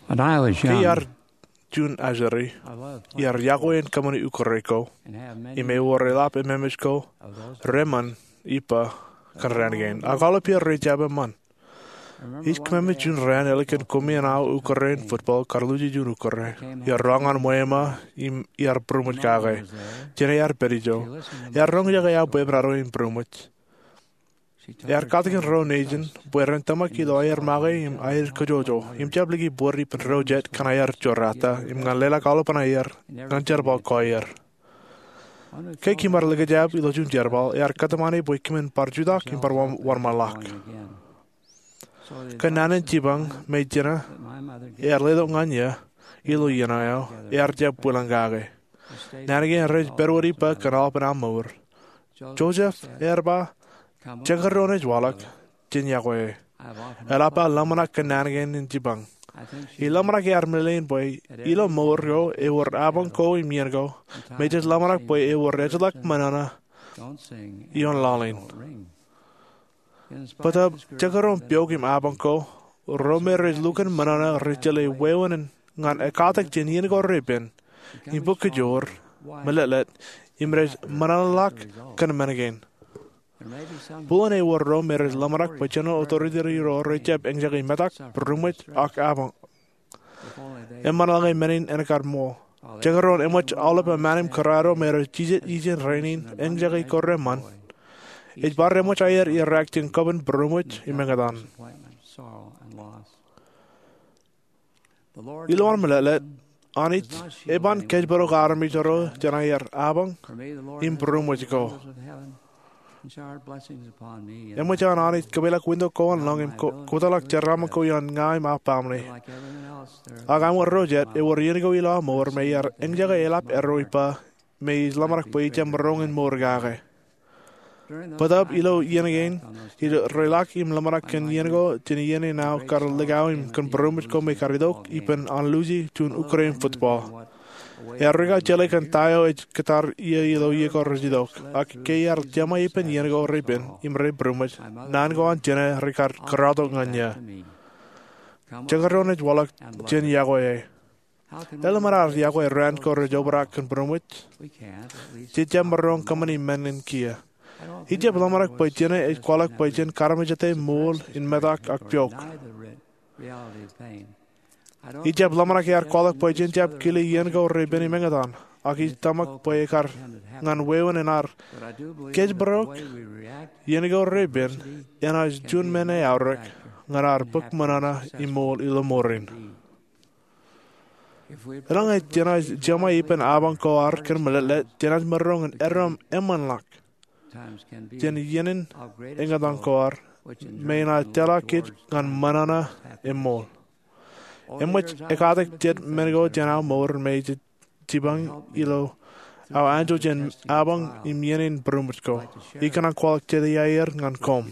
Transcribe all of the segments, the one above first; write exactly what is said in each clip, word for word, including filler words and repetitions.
Ke iar juon ajri, iar yokwe in kōṃṃani ukōre ko im ewōr eḷap ememej ko reṃṃan ippa kōn raan kein. Ak aolep iar rej jab eṃṃan. Ij kōṃṃane juon raan ālikin koṃeañ aō ukōre in football kar luji juon ukōre. Iar roñ ñan ṃweo eo im iar būroṃōj kake. Jenaaj pād ijo. Ear roñjake aō bwebwenato im būroṃōj. Ear katakin ro nejin bwe ren tōmak ilo aer make im aer kōjọjọ im jab liki bōd ippān ro jet kōn aer jorrāān im ñan leḷọk aolepān aer ñan jerbal ko aer. Ke kōm ar likjab ilo juon jerbal, ear kōtmāne bwe kōmin bar jutak im bar wōnṃaanḷọk. Kōn naan in jipañ me jena ear letok ñan eō ilo iien eo, ear jab bwilōñ kake. Naan kein rej pād wōt ippa kōn aolepān aō mour. Joseph ear ba, jekdọọn ej waḷọk, jen yokwe e. Eḷap aō ḷōmṇak kōn naan kein in jipañ. Ij ḷōmṇak ear meḷeḷein bwe ilo mour ko ewōr apañ ko im iien ko me jej ḷōmṇak bwe ewōr ejjeḷọk ṃōṇōṇō ioon laḷ in. Bōtab jekdọọn piok im apañ ko, ro me rej lukkuun ṃōṇōṇō rej jeḷā wāween ñan ekkatak jān iien ko repen im bōk kōjoor, meḷeḷe, im rej ṃōṇōṇōḷọk kōn men kein. Buḷōn ewōr ro me rej ḷōmṇak bwe General Authority ro rej jab eñjake metak, būroṃōj, ak apañ. Eṃṃanḷọk men in en kar ṃool. Jekdọọn eṃōj aolep aṃaan im kōrā ro me rej jijet ijin rainin eñjake ko reṃṃan, ej bar eṃōj aer irak jān kōban būroṃōj im eñtaan. Ilowaan meḷeḷe, Anij eban kōjparok armej ro jān aer apañ im būroṃōj ko. Eṃōj an Anij kōpeḷḷọk winto ko an lōñ im ko-, kōtḷọk jeraaṃṃan ko ioon ña im aō baaṃle. Ak aṃ ro jet, ewōr iien ko ilo aō mour me iar eñjake eḷap erro ippa me ij ḷōmṇak bwe ij jab maroñ in mour kake. Bōtab ilo iien kein, ij reḷak im ḷōmṇak kōn iien ko jān iien in aō kar likao im kōn būroṃōj ko me kar itok ippān an luji juon ukōre in football. Ear rūkaki jeḷā kōn ta eo ej kōttar iiō ilo iien ko rej itok. Ak ke iar jeṃae ippān iien ko repen im rej būroṃōj, naan ko an jene rekar kōrọọltok ñan eō. Jekdọọn ej waḷọk, jen yokwe e. Elōñ men aer yokwe raan ko rej obrak kōn būroṃōj? Jej jab maroñ kōṃṃani men in kiiō. Ij jab ḷōmṇak bwe jene ej kwaḷọk bwe jen kaarmejete ṃool in metak ak piok. Ij jab ḷōmṇak ear kwaḷọk bwe jen jab kile iien ko repen im eñtaan, ak ij tōmak bwe ekar ñan wāween in ad kōjparok. Iien ko repen enaaj juon men eaorōk ñan ad bōk ṃōṇōṇō im ṃool ilo ṃoor in. Eḷaññe jenaaj jeṃae ippān apañ ko ad kōn meḷeḷe, jenaaj maroñ in erom eṃṃanḷọk jān iien in eñtaan ko ad me enaaj tōla kōj ñan ṃōṇōṇō im ṃool. Eṃōj ekkatak jet men ko jān aō mour me jej jipañ ilo aō anjọ jān apañ im iien in būroṃōj ko. Ikōṇaan kwaḷọk jet iaer ñan koṃ.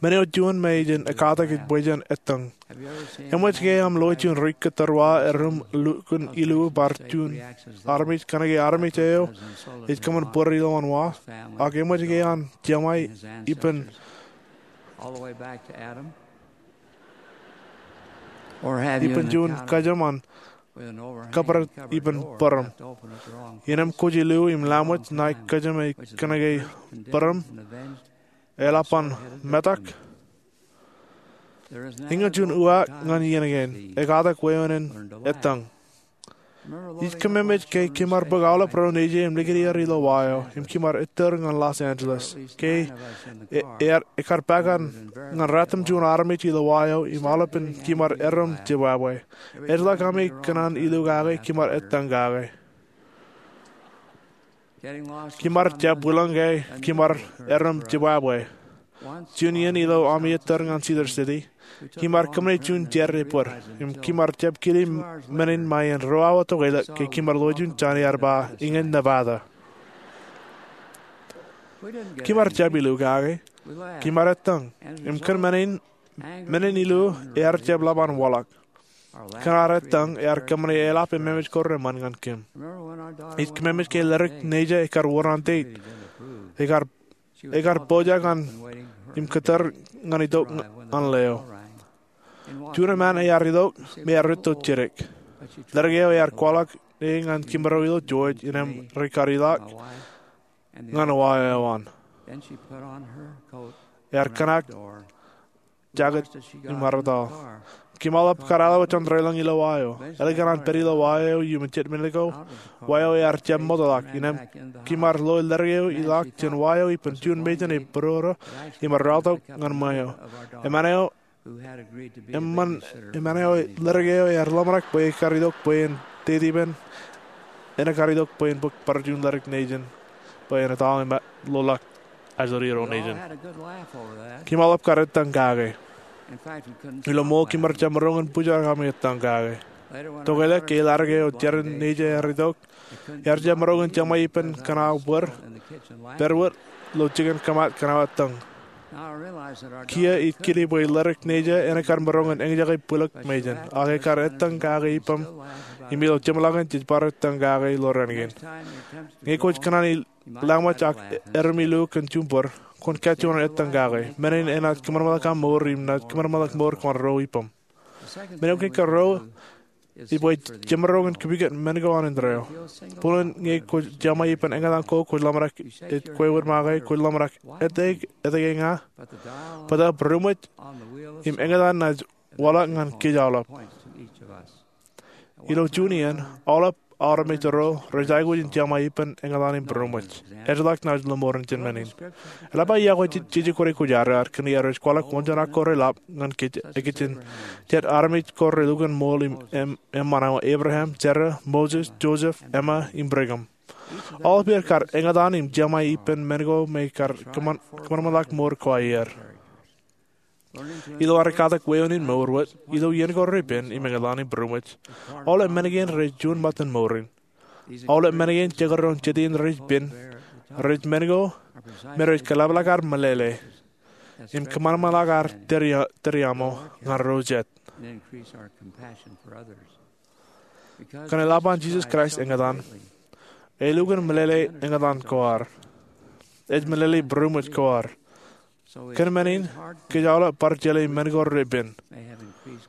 Men eo juon me ej ekkatak ej bwe jen ettōñ. Eṃōj ke aṃ loe juon ri kōttar wa erom lukkuun ilu bar juon armej kōnke armej eo ej kōṃṃan bōd ilowaan wa, ak eṃōj ke an jeṃae ippān ippān juon kōjām an kōpād ippān bōraṃ. Innām kwōj ilu im laṃōj ṇae kōjām e kōnke bōraṃ eḷap an metak. Eñin juon uwaak ñan iien kein, ekkatak wāween in ettōñ. Ij kōmemej ke kōm ar bōk aolep ro nejier im likūt er ilo wa eo, im kōm ar ettōr ñan Los Angeles. Ke e-, ear, ekar pād ñan ratimjuon armej ilo wa eo, im aolepān kōm ar erom jibwābwe. Ejjeḷọk ami kōṇaan ilu kake, kōm ar ettōñ kake. Kōm ar jab bwilōñ ke kōm ar erom jibwābwe. Juon iien ilo ami ettōr ñan Cedar City, kōm ar kōṃṃane juon jar ebōd, im kōm ar jab kile men in ṃae in ruo awa tokālik ke kōm ar lo juon jān ear ba Eñin Nevada. Kōm ar jab ilu kake, kōm ar ettōñ, im kōn men in, men in ilu ear jab ḷap an waḷọk. Kōn ad ettōñ, ear kōṃṃane eḷap ememej ko reṃṃan ñan kōm. Ij kōmemej ke ledik nejā ekar wōr an date. Ekar, ekar pojak an im kōttar ñan itok an leo. Juon eṃṃan ear itok me ear rūtto jidik. Ledik eo ear kwaḷọk e ñan kimarok ilo George innem rej kar ilọk ñan wa eo an. Ear kōṇaan jaket im armataḷ. Kimaḷap kar alowa jān deḷọñ ilo wa eo. Ālikin an pād ilo wa eo iuṃwin jet minit ko, wa eo ear jab ṃootḷọk. Innem kimaroñ lo ledik eo ilọk jān wa eo ippān juon mejān e būrodo im ear rọọltok ñan ṃweo. Eṃṃan eo eṃṃan, eṃṃan eo ledik eo ear ḷōmṇak bwe ekar itok bwe en dedepen, ekar itok bwe en bōk bar juon ledik nejin bwe en etal im loḷọk ajri ro nejin. Kimaḷap kar ettōñ kake. Ilo ṃool kimaroñ jab maroñ in bōjrak ami ettōñ kake. Tokālik ke ledik eo jeran nejin ear itok, ear jab maroñ in jeṃae ippān kōṇaan bōd, pād wōt ilo jikin kōmat kōṇaan ettōñ. Kiiō ij kile bwe ledik nejin eo ekar maroñ in eñjake bwilōk mejān, ak ekar ettōñ kake ippaṃ im ilo jeṃḷọkin jej bar ettōñ kake ilo raan kein. Ñe kwōj kōṇaan lañṃooj ak ermillu kōn juṃ bōd, kwōn kajjioñ ettōñ kake. Men in enaaj kōṃanṃanḷọk aṃ mour im naaj kōṃanṃanḷọk mour ko an ro ippaṃ. Men eo kein karuo ej bwe jemaroñ in kipikot men ko an indeeo. Buñūn ñe kwōj jeṃae ippān eñtaan ko kwōj ḷōmṇak ej kwe wōt make, kwōj ḷōmṇak etke, etke ña, bōtaab būroṃōj im eñtaan naaj waḷọk ñan kōj aolep. Ilo juon iien, aolep armej ro rej aikuj in jeṃae ippān eñtaan im būroṃōj. Ejjeḷọk naaj lọmọọren jān men in. Eḷap aō iọkwe jeje kwōnaaj kōj ad kōn iar ej kwaḷọk wōnṃaanḷọk ko reḷap ñan kōj, ikijjien jet armej ko relukkuun ṃool im eṃṃan eo: Abraham, Sera, Moses, Joseph, Emma, im Brigham. Aolep er kar eñtaan im jeṃae ippān men ko me kar kōṃanṃanḷọk mour ko aer. Ilo ad katak weeoon in mour wōt, ilo iien ko repen im eñtaan im būroṃōj, aolep men kein rej juon ṃōttan mour in. Aolep men kein jekdọọn jet iien rej pen, rej men ko me rej kaḷapḷọk ad meḷeḷe im kōṃanṃanḷọk ad tōre, tōreaṃo ñan ro jet. Kōn eḷap an Jisōs Kraist eñtaan, elukkuun meḷeḷe eñtaan ko ad. Ej meḷeḷe būroṃōj ko ad. Kōn men in, kōj aolep bar jeḷā men ko repen,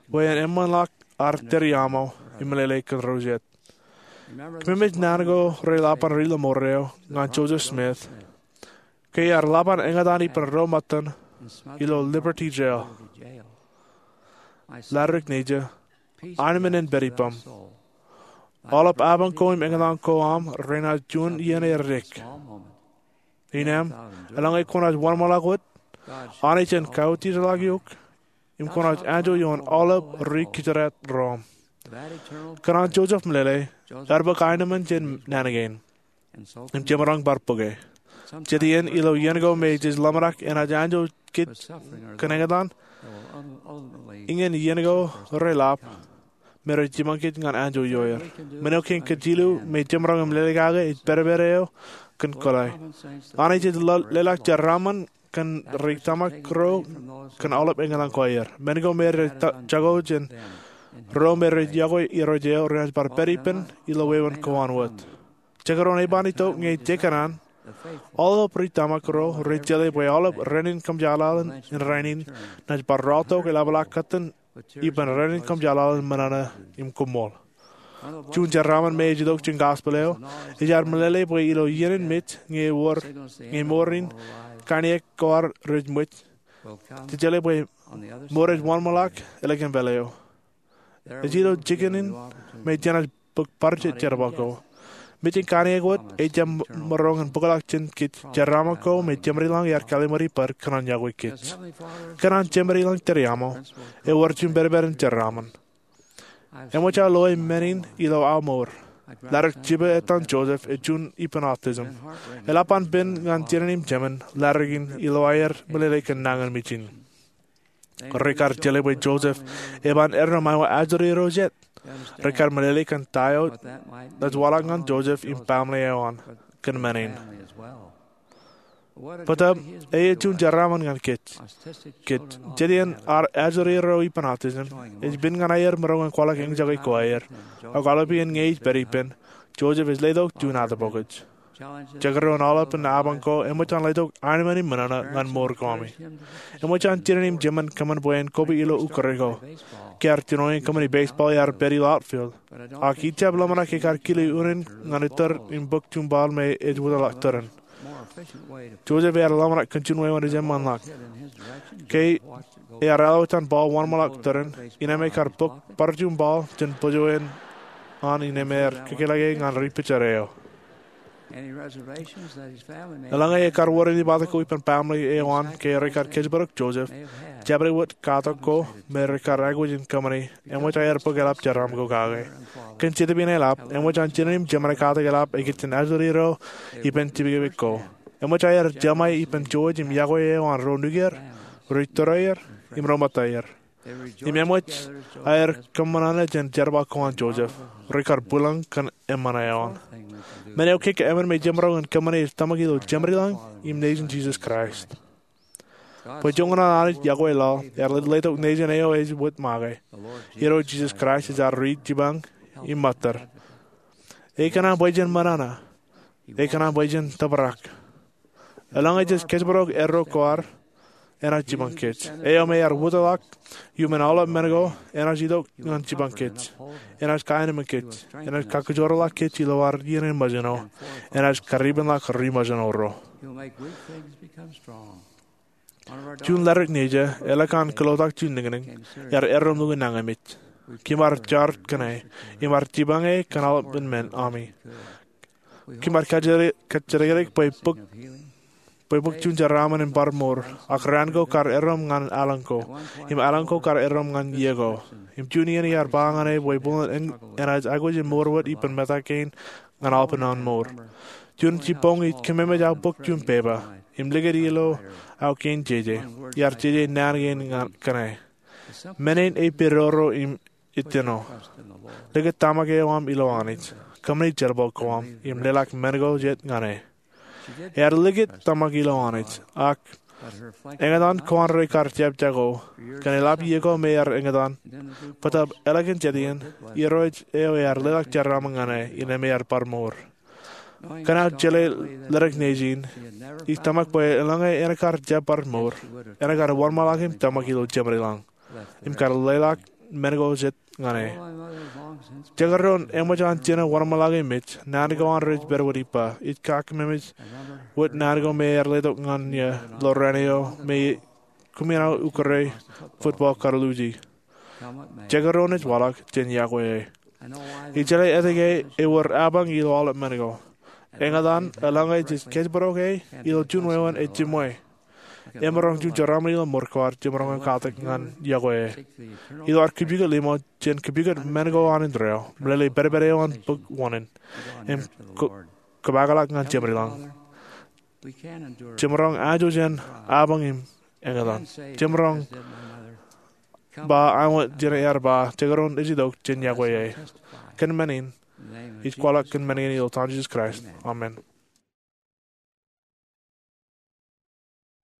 bwe en eṃṃanḷọk ad tōreaṃo im meḷeḷe kōn ro jet. Kōmij eñjake naan ko reḷap an ri-lọmọọr eo ñan Joseph Smith, ke ear ḷap an eñtaan ippān ro ṃōttan ilo Liberty Jail. Ledik nejin, armej in pād ippaṃ. Aolep apañ ko im eñtaan ko aṃ renaaj juon iien edik. Innem, eḷaññe kwōnaaj wōnṃaanḷọk wōt, Anij en kautiejḷọk eok, im kwōnaaj anjọ ioon aolep ri-kōjdat ro aṃ. Kōn an Joseph meḷeḷe, ear bōk aenōṃṃan jān naan kein im jemaroñ bar bōke. Jet iien ilo iien ko me jej ḷōmṇak enaaj anjọ kōj kōn eñtaan, iñin iien ko reḷap me rej jiṃṃaṃ kōj ñan anjọ ioer. Men eo kein kōjjilu me jemaroñ im lelekake ej pedped eo kōn kōḷḷā. Anij ej leḷọk jeraaṃṃan kōn ri tōmak ro kōn aolep eñtaan ko aer. Men ko me rej jako jān ro me rej yokwe irooj eo renaaj bar pād ippān ilo wāween ko an wōt. Jekdọọn eban itok ñe jekōṇaan, aolep ri tōmak ro rej jeḷā bwe aolep raan in kōmjeḷaḷ in rainin naaj bar rọọltok eḷapḷọk kōttan ippān raan in kōmjeḷaḷ in ṃōṇōṇō im koṃṃool. Juon jeraaṃṃan me ej itok jān gospel eo, ej ad meḷeḷe bwe ilo iien in mej ñe ewōr, ñe mour in kaṇiōk ko ad rej ṃōj, jej jeḷā bwe mour ej wōnṃaanḷọk ālikin pālle eo. Ej ilo jikin in me jenaaj bōk bar jet jerbal ko. Mej in kaṇiōk wōt ejjab maroñ in bōkḷọk jān kōj jeraaṃṃan ko me Jemedlañ ear kalliṃur ippād kōn an yokwe kōj. Kōn an Jemedlañ tōreaṃo, ewōr juon pedped in jeraaṃṃan. Eṃōj aō loe men in ilo aō mour. Ledik jiba etan Joseph ej juon ippān autism. Eḷap an pen ñan jinen im jemān ledik in ilo aer meḷeḷe kōn nañinmej in. Rekar jeḷā bwe Joseph eban eddo ṃae ajri ro jet. Rekar meḷeḷe kōn ta eo naaj waḷọk ñan Joseph im baaṃle eo an kōn men in. Bōtaab, ej juon jeraaṃṃan ñan kōj. Kōj, jet iien ajri ro ippān autism ej pen ñan aer maroñ in kwaḷọk eñjake ko aer, ak aolepān ñe ej pād ippān, Joseph ej letok juon atōpokōj. Jekdọọn aolep in apañ ko eṃōj an letok aenōṃṃan im ṃōṇōṇō ñan mour ko ami. Eṃōj an jinen im jemān kōṃṃan bwe en kobwe ilo ukōre ko. Kiiō ar jino in kōṃṃani baseball ear pād ilo outfield, ak ij jab ḷōmṇak ke kar kile unin ñan ettōr im bōk juṃbaḷ me ej wōtlọk tōren. Joseph ear ḷōmṇak kōn juon wāween ej eṃṃanḷọk. Ke ear āliktata baḷ wōnṃaanḷọk tōren, innem e kar bōk bar juṃbaḷ jān bōjwōj an innem ear kōkōḷḷe ñan ri pijor eo. Eḷaññe ekar wōr ej ippān ko ippān baaṃle eo an ke rekar kōjparok Joseph, jabdewōt katak ko me rekar aikuj in kōṃṃani eṃōj aer bōk eḷap jeraaṃ ko kake. Kōn Jetōb in eḷap, eṃōj an jinen im jemān katak eḷap ej kajjitōk āliktata ippān tipekpek ko. Eṃōj aer jeṃae ippān jouj im yokwe eo an ro nukier, ri tōre er, im ro ṃōtta er. Im eṃōj aer kōṃṃan ṇe jān jerbal ko an Joseph, rekar bwilōñ kōn eṃṃan eo an. Men eo kōkō emān me jemaroñ in kōṃṃane ej tōmak ilo Jemedlañ im Nejin Jisōs Kraist. Bwe joñan an Anij yokwe laḷ, ear letok Nejin eo ej wōt make. Irooj Jisōs Kraist ej ad ri jipañ im ṃōttad. Ekōṇaan bwe jen ṃōṇōṇō. Ekōṇaan bwe jen tōprak. Eḷaññe jej kōjparok erro ko ad, enaaj jipañ kōj. Eo me ear wōtlọk iuṃwin aolep men ko, enaaj itok ñan jipañ kōj. Enaaj kaenōṃōn kōj. Enaaj kakijoorḷọk kōj ilo ad iien in ṃōjṇo. Enaaj karipenḷọk ri ṃōjṇo ro. Juon ledik nejā, eḷak an kōlotak juon niñniñ, ear erreo im lukkuun nañinmej. Kōm ar jaar kōn e, im ar jipañ e kōn aolepān men ami. Kōm ar kajjidikdik bwe bōk juon jeraaṃṃan in bar mour, ak raan ko kar erreo ñan aelōñ ko, im aelōñ ko kar erreo ñan iiō ko. Im juon iien iar ba ñan e bwe buḷōn enaaj aikuj in mour wōt ippān mejān kein ñan aolepān an mour. Juon jibboñ ij kōmemej aō bōk juon pepa im likūt ilo aō kein jeje. Iar jeje naan kein kōn e. Men in ej pedorō im ejjeno. Likūt tōmak eo aṃ ilo Anij. Kōṃṃani jerbal ko aṃ im leḷọk men ko jet ñan e. Ear likūt tōmak ilo Anij, ak eñtaan ko an rekar jab jako kōn eḷap iiō ko me ear eñtaan, bōtab eḷak in jet iien, Irooj eo ear leḷọk jeraaṃṃan ñan e, innem ear bar mour. Kōn aō jeḷā ledik nejin, ij tōmak bwe eḷaññe en kar jab bar mour, en kar wōnṃaanḷọk im tōmak ilo Jemedlañ im kar leḷọk men ko jet ñan e. Jekdọọn eṃōj an jinen wōnṃaanḷọk im mej, naan ko an rej pād wōt ippa. Ij kakememej wōt naan ko me ear letok ñan eō ilo raan eo me kōmij ukōrā football kar luuji. Jekdọọn ej waḷọk, jen yokwe e. Ij jeḷā etke ewōr apañ ilo aolep men ko. Eñtaan, eḷaññe jej kōjparok e ilo juon wāween ej jiṃwe, emaroñ juon jeraaṃṃan ilo mour ko ad jemaroñ in katak ñan yokwe e. Ilo ad kōpukot limo, jen kōpukot men ko an indeeo, meḷeḷe in pedped eo an bōk wōṇāān, im kōpaakḷọk ñan Jemedlañ. Jemaroñ ajo jān apañ im eñtaan. Jemaroñ ba āinwōt jen ear ba, jekdọọn ej itok, jen yokwe e. Kōn men in, ij kwaḷọk kōn men kein ilo etan Jisōs Kraist, amen.